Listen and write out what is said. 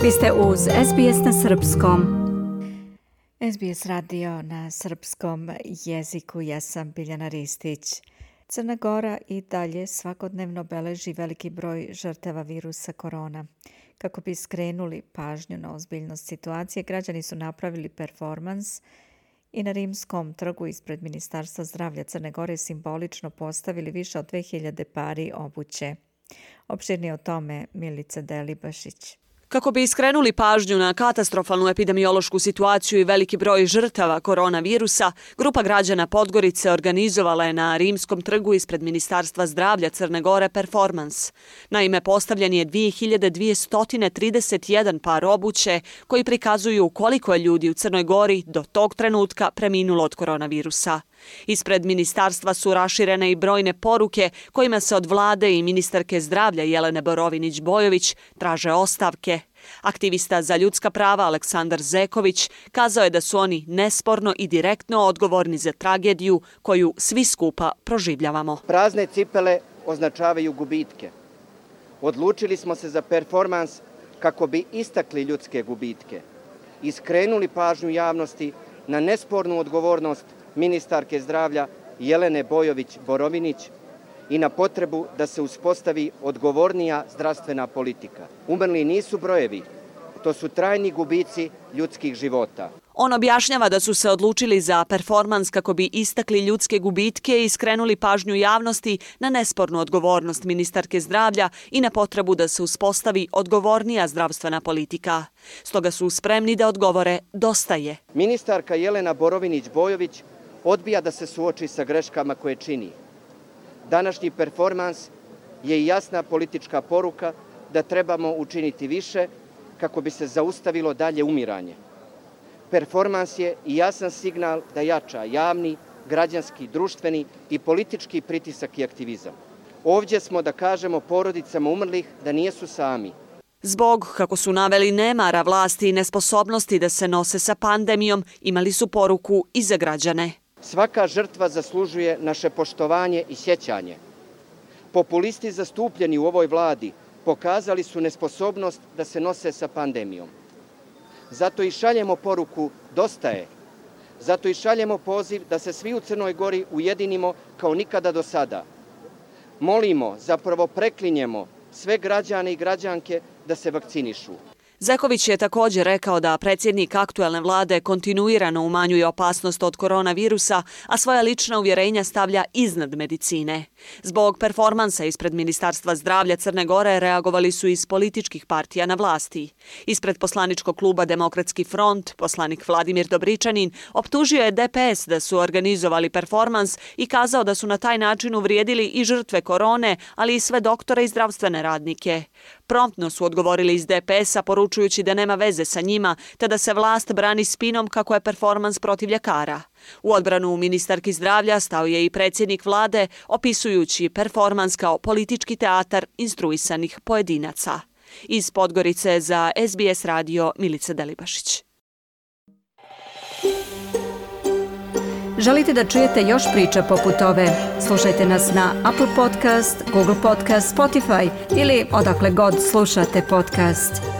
Vi ste uz SBS na srpskom. SBS radio na srpskom jeziku. Ja sam Biljana Ristić. Crna Gora i dalje svakodnevno beleži veliki broj žrtava virusa korona. Kako bi skrenuli pažnju na ozbiljnost situacije, građani su napravili performans i na Rimskom trgu ispred Ministarstva zdravlja Crne Gore simbolično postavili više od 2000 pari obuće. Opširnije o tome Milica Delibašić. Kako bi skrenuli pažnju na katastrofalnu epidemiološku situaciju i veliki broj žrtava koronavirusa, grupa građana Podgorice organizovala je na Rimskom trgu ispred Ministarstva zdravlja Crne Gore performans. Naime, postavljen je 2231 par obuće koji prikazuju koliko je ljudi u Crnoj Gori do tog trenutka preminulo od koronavirusa. Ispred ministarstva su raširene i brojne poruke kojima se od vlade i ministarke zdravlja Jelene Borovinić-Bojović traže ostavke. Aktivista za ljudska prava Aleksandar Zeković kazao je da su oni nesporno i direktno odgovorni za tragediju koju svi skupa proživljavamo. Prazne cipele označavaju gubitke. Odlučili smo se za performans kako bi istakli ljudske gubitke i skrenuli pažnju javnosti na nespornu odgovornost ministarke zdravlja Jelene Bojović-Borovinić i na potrebu da se uspostavi odgovornija zdravstvena politika. Umrli nisu brojevi, to su trajni gubici ljudskih života. On objašnjava da su se odlučili za performans kako bi istakli ljudske gubitke i skrenuli pažnju javnosti na nespornu odgovornost ministarke zdravlja i na potrebu da se uspostavi odgovornija zdravstvena politika. Stoga su spremni da odgovore dosta je. Ministarka Jelena Borovinić-Bojović odbija da se suoči sa greškama koje čini. Današnji performans je jasna politička poruka da trebamo učiniti više kako bi se zaustavilo dalje umiranje. Performans je i jasan signal da jača javni, građanski, društveni i politički pritisak i aktivizam. Ovdje smo da kažemo porodicama umrlih da nisu sami. Zbog, kako su naveli, nemara vlasti i nesposobnosti da se nose sa pandemijom, imali su poruku i za građane. Svaka žrtva zaslužuje naše poštovanje i sjećanje. Populisti zastupljeni u ovoj vladi pokazali su nesposobnost da se nose sa pandemijom. Zato i šaljemo poruku dosta je. Zato i šaljemo poziv da se svi u Crnoj Gori ujedinimo kao nikada do sada. Molimo, zapravo preklinjemo sve građane i građanke da se vakcinišu. Zeković je također rekao da predsjednik aktuelne vlade kontinuirano umanjuje opasnost od koronavirusa, a svoja lična uvjerenja stavlja iznad medicine. Zbog performansa ispred Ministarstva zdravlja Crne Gore reagovali su iz političkih partija na vlasti. Ispred poslaničkog kluba Demokratski front, poslanik Vladimir Dobričanin optužio je DPS da su organizovali performans i kazao da su na taj način uvrijedili i žrtve korone, ali i sve doktore i zdravstvene radnike. Promptno su odgovorili iz DPS-a poručujući da nema veze sa njima, te da se vlast brani spinom kako je performans protiv ljekara. U odbranu ministarki zdravlja stao je i predsjednik vlade, opisujući performans kao politički teatar instruisanih pojedinaca. Iz Podgorice za SBS radio Milica Delibašić. Želite da čujete još priča poput ove? Slušajte nas na Apple Podcast, Google Podcast, Spotify ili odakle god slušate podcast.